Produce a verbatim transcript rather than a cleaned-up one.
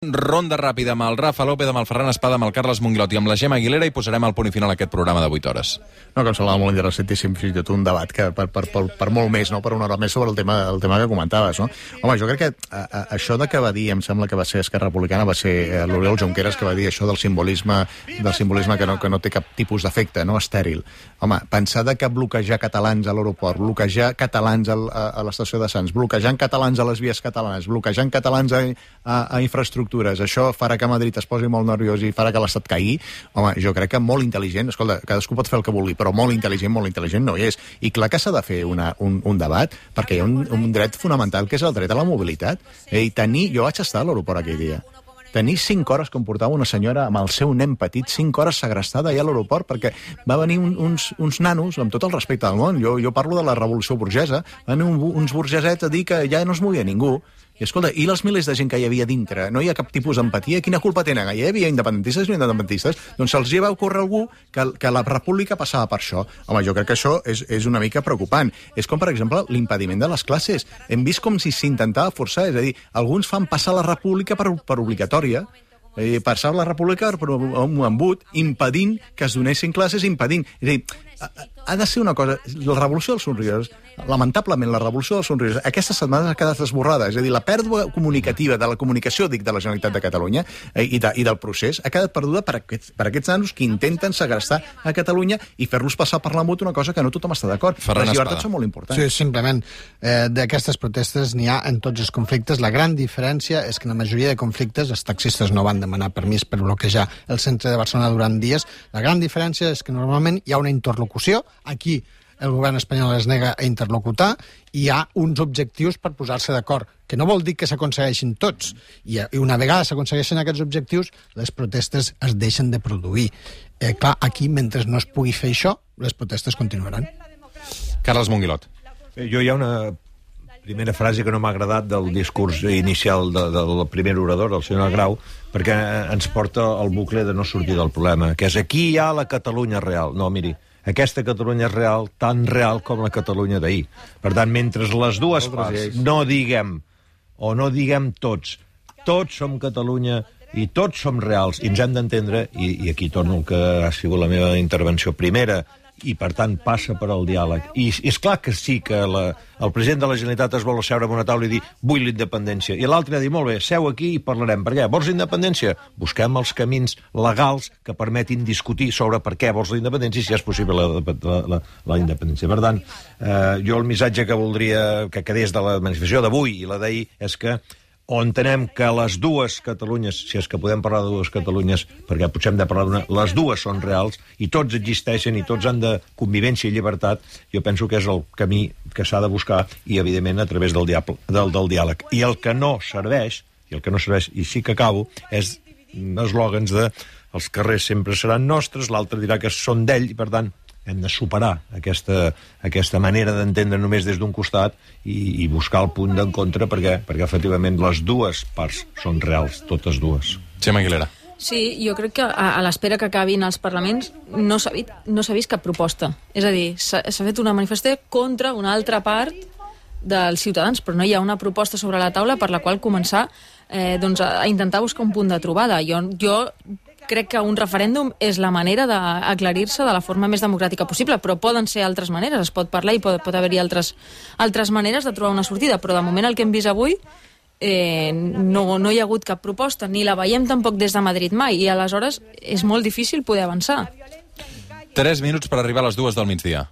Ronda ràpida amb el Rafa López, amb el Ferran Espada, amb el Carles Monguilot i amb la Gemma Aguilera i posarem el punt i final a aquest programa de vuit hores. No, que em semblava molt interessantíssim, fins i tot un debat que per, per, per, per molt més, no? Per una hora més sobre el tema, el tema que comentaves, no? Home, jo crec que a, a, això de que va dir, em sembla que va ser Esquerra Republicana, va ser eh, l'Oriol Junqueras que va dir això del simbolisme, del simbolisme que no, que no té cap tipus d'efecte, no? Estèril. Home, pensar de que bloquejar catalans a l'aeroport, bloquejar catalans a, a, a l'estació de Sants, bloquejant catalans a les vies catalanes, bloquejant catalans a, a, a infraestructures, això farà que Madrid es posi molt nerviós i farà que l'Estat caigui. Home, jo crec que molt intel·ligent, escolta, cadascú pot fer el que vulgui, però molt intel·ligent, molt intel·ligent no hi és. I clar que s'ha de fer una, un, un debat, perquè hi ha un, un dret fonamental que és el dret a la mobilitat. I tenir, jo vaig estar a l'aeroport aquell dia. Tenir cinc hores com portava una senyora amb el seu nen petit, cinc hores segrestada allà a l'aeroport, perquè va venir un, uns, uns nanos, amb tot el respecte del món, jo, jo parlo de la revolució burgesa, van venir un, uns burgesets a dir que ja no es movia ningú. I escolta, i els milers de gent que hi havia dintre? No hi ha cap tipus d'empatia? Quina culpa tenen? Hi havia independentistes i no independentistes? Doncs se'ls hi va ocórrer algú que, que la república passava per això. Home, jo crec que això és, és una mica preocupant. És com, per exemple, l'impediment de les classes. Hem vist com si s'intentava forçar, és a dir, alguns fan passar la república per, per obligatòria, eh, passar la república per un embut, impedint que es donessin classes, impedint... És a dir, ha de ser una cosa... La revolució dels somriures, lamentablement, la revolució dels somriures, aquesta setmana ha quedat esborrada. És a dir, la pèrdua comunicativa de la comunicació, dic, de la Generalitat de Catalunya eh, i, de, i del procés ha quedat perduda per aquests, per aquests nanos que intenten segrestar a Catalunya i fer-los passar per l'embut una cosa que no tothom està d'acord. Les llibertats són molt importants. Sí, simplement. Eh, D'aquestes protestes n'hi ha en tots els conflictes. La gran diferència és que en la majoria de conflictes els taxistes no van demanar permís per bloquejar el centre de Barcelona durant dies. La gran diferència és que normalment hi ha una interlocució. Aquí el govern espanyol es nega a interlocutar i hi ha uns objectius per posar-se d'acord, que no vol dir que s'aconsegueixin tots. I una vegada s'aconsegueixen aquests objectius, les protestes es deixen de produir. Eh, clar, aquí, mentre no es pugui fer això, les protestes continuaran. Carles Monguilot. Jo hi ha una primera frase que no m'ha agradat del discurs inicial de, de, del primer orador, el senyor Grau, perquè ens porta al bucle de no sortir del problema, que és aquí hi ha la Catalunya real. No, miri, aquesta Catalunya és real, tan real com la Catalunya d'ahir. Per tant, mentre les dues parts no diguem, o no diguem tots, tots som Catalunya i tots som reals, i ens hem d'entendre, i, i aquí torno al que ha sigut la meva intervenció primera, i per tant passa per al diàleg. I és clar que sí que la, el president de la Generalitat es vol asseure en una taula i dir vull la independència, i l'altre ha dit molt bé, seu aquí i parlarem. Per què? Vols la independència? Busquem els camins legals que permetin discutir sobre per què vols la independència i si és possible la, la, la, la independència. Per tant, eh, jo el missatge que voldria que quedés de la manifestació d'avui i la d'ahir és que o entenem que les dues Catalunyes, si és que podem parlar de dues Catalunyes, perquè potser hem de parlar d'una, les dues són reals, i tots existeixen, i tots han de convivència i llibertat, jo penso que és el camí que s'ha de buscar, i evidentment a través del, diable, del, del diàleg. I el que no serveix, i el que no serveix, i sí que acabo, és eslògans de els carrers sempre seran nostres, l'altre dirà que són d'ell, i per tant hem de superar aquesta, aquesta manera d'entendre només des d'un costat i, i buscar el punt d'encontre perquè, perquè efectivament les dues parts són reals, totes dues. Gemma Aguilera. Sí, jo crec que a, a l'espera que acabin els parlaments no s'ha vist, no s'ha vist cap proposta. És a dir, s'ha fet una manifestació contra una altra part dels ciutadans, però no hi ha una proposta sobre la taula per la qual començar eh, doncs a, a intentar buscar un punt de trobada. Jo... jo crec que un referèndum és la manera d'aclarir-se de la forma més democràtica possible, però poden ser altres maneres, es pot parlar i pot, pot haver-hi altres, altres maneres de trobar una sortida, però de moment el que hem vist avui eh, no, no hi ha hagut cap proposta, ni la veiem tampoc des de Madrid mai, i aleshores és molt difícil poder avançar. Tres minuts per arribar a les dues del migdia.